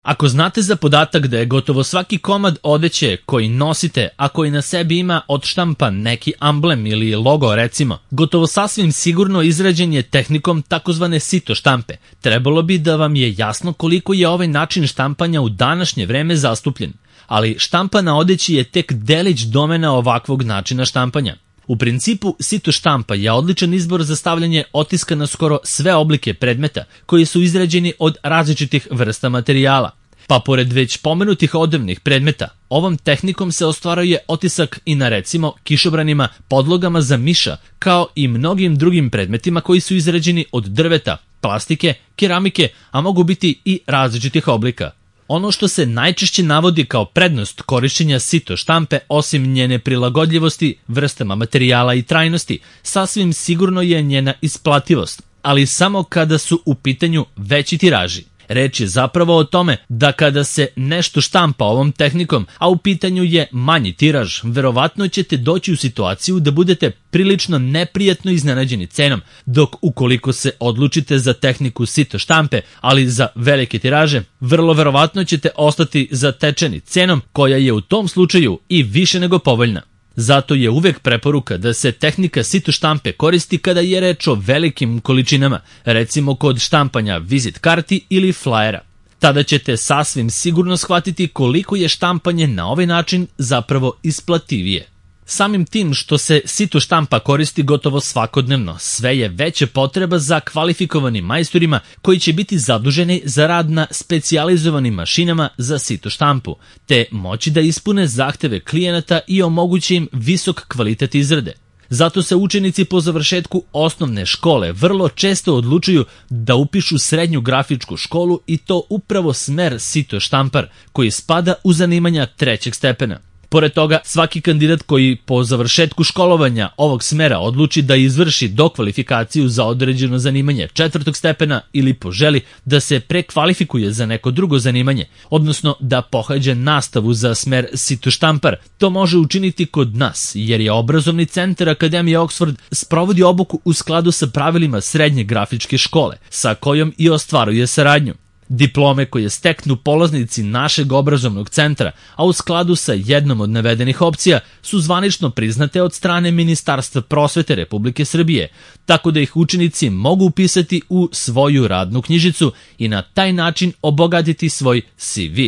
Ako znate za podatak da je gotovo svaki komad odeće koji nosite, a koji na sebi ima odštampan neki amblem ili logo recimo, gotovo sasvim sigurno izrađen je tehnikom takozvane sito štampe, trebalo bi da vam je jasno koliko je ovaj način štampanja u današnje vreme zastupljen. Ali štampa na odeći je tek delić domena ovakvog načina štampanja. U principu, sito štampa je odličan izbor za stavljanje otiska na skoro sve oblike predmeta koji su izrađeni od različitih vrsta materijala. Pa pored već pomenutih odevnih predmeta, ovom tehnikom se ostvaruje otisak i na recimo kišobranima, podlogama za miša, kao i mnogim drugim predmetima koji su izrađeni od drveta, plastike, keramike, a mogu biti i različitih oblika. Ono što se najčešće navodi kao prednost korišćenja sito štampe, osim njene prilagodljivosti, vrstama materijala i trajnosti, sasvim sigurno je njena isplativost, ali samo kada su u pitanju veći tiraži. Reč je zapravo o tome da kada se nešto štampa ovom tehnikom, a u pitanju je manji tiraž, verovatno ćete doći u situaciju da budete prilično neprijatno iznenađeni cenom, dok ukoliko se odlučite za tehniku sito štampe, ali za velike tiraže, vrlo verovatno ćete ostati zatečeni cenom koja je u tom slučaju i više nego povoljna. Zato je uvek preporuka da se tehnika sito štampe koristi kada je reč o velikim količinama, recimo kod štampanja vizit karti ili flajera. Tada ćete sasvim sigurno shvatiti koliko je štampanje na ovaj način zapravo isplativije. Samim tim što se sito štampa koristi gotovo svakodnevno, sve je veća potreba za kvalifikovanim majstorima koji će biti zaduženi za rad na specijalizovanim mašinama za sito štampu, te moći da ispune zahteve klijenata i omogući im visok kvalitet izrade. Zato se učenici po završetku osnovne škole vrlo često odlučuju da upišu srednju grafičku školu i to upravo smer sito štampar, koji spada u zanimanja 3. stepena. Pored toga, svaki kandidat koji po završetku školovanja ovog smera odluči da izvrši dokvalifikaciju za određeno zanimanje 4. stepena ili poželi da se prekvalifikuje za neko drugo zanimanje, odnosno da pohađa nastavu za smer sito štampar, to može učiniti kod nas, jer je obrazovni centar Akademije Oxford sprovodi obuku u skladu sa pravilima srednje grafičke škole, sa kojom i ostvaruje saradnju. Diplome koje steknu polaznici našeg obrazovnog centra, a u skladu sa jednom od navedenih opcija, su zvanično priznate od strane Ministarstva prosvete Republike Srbije, tako da ih učenici mogu upisati u svoju radnu knjižicu i na taj način obogatiti svoj CV.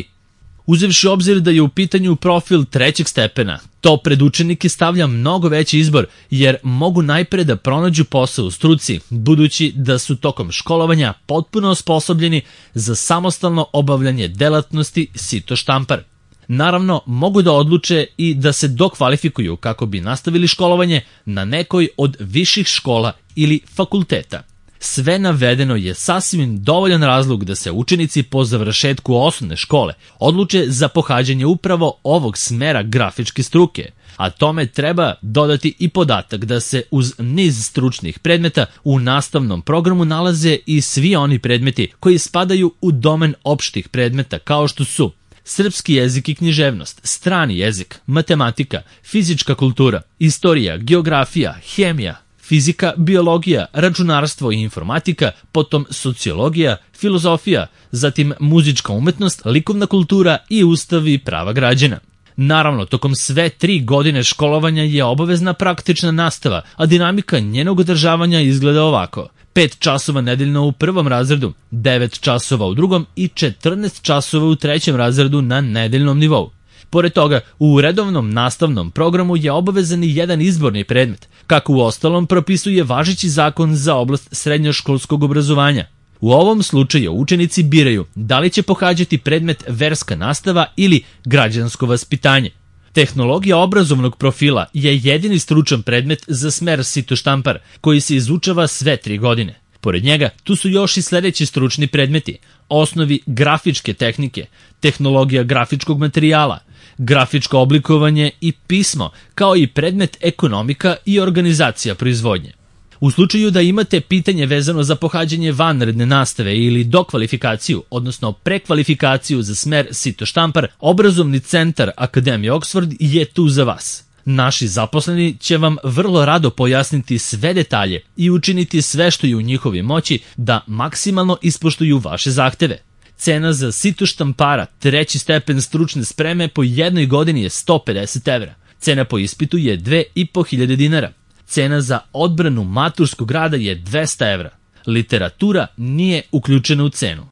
Uzevši obzir da je u pitanju profil 3. stepena, to pred učenike stavlja mnogo veći izbor, jer mogu najpre da pronađu posao u struci, budući da su tokom školovanja potpuno osposobljeni za samostalno obavljanje delatnosti sito štampar. Naravno, mogu da odluče i da se dokvalifikuju kako bi nastavili školovanje na nekoj od viših škola ili fakulteta. Sve navedeno je sasvim dovoljan razlog da se učenici po završetku osnovne škole odluče za pohađanje upravo ovog smera grafičke struke, a tome treba dodati i podatak da se uz niz stručnih predmeta u nastavnom programu nalaze i svi oni predmeti koji spadaju u domen opštih predmeta kao što su srpski jezik i književnost, strani jezik, matematika, fizička kultura, istorija, geografija, hemija, fizika, biologija, računarstvo i informatika, potom sociologija, filozofija, zatim muzička umetnost, likovna kultura i ustav i prava građana. Naravno, tokom sve 3 godine školovanja je obavezna praktična nastava, a dinamika njenog održavanja izgleda ovako: 5 časova nedeljno u 1. razredu, 9 časova u 2. i 14 časova u 3. razredu na nedeljnom nivou. Pored toga, u redovnom nastavnom programu je obavezan i jedan izborni predmet, kako u ostalom propisuje važeći zakon za oblast srednjoškolskog obrazovanja. U ovom slučaju učenici biraju da li će pohađati predmet verska nastava ili građansko vaspitanje. Tehnologija obrazovnog profila je jedini stručan predmet za smer sito štampar, koji se izučava sve 3 godine. Pored njega, tu su još i sledeći stručni predmeti: osnovi grafičke tehnike, tehnologija grafičkog materijala, grafičko oblikovanje i pismo, kao i predmet ekonomika i organizacija proizvodnje. U slučaju da imate pitanje vezano za pohađanje vanredne nastave ili dokvalifikaciju, odnosno prekvalifikaciju za smer sito štampar, obrazovni centar Akademije Oxford je tu za vas. Naši zaposleni će vam vrlo rado pojasniti sve detalje i učiniti sve što je u njihovoj moći da maksimalno ispoštuju vaše zahteve. Cena za sito štampara, 3. stepen stručne spreme po jednoj godini je 150 evra. Cena po ispitu je 2500 dinara. Cena za odbranu maturskog rada je 200 evra. Literatura nije uključena u cenu.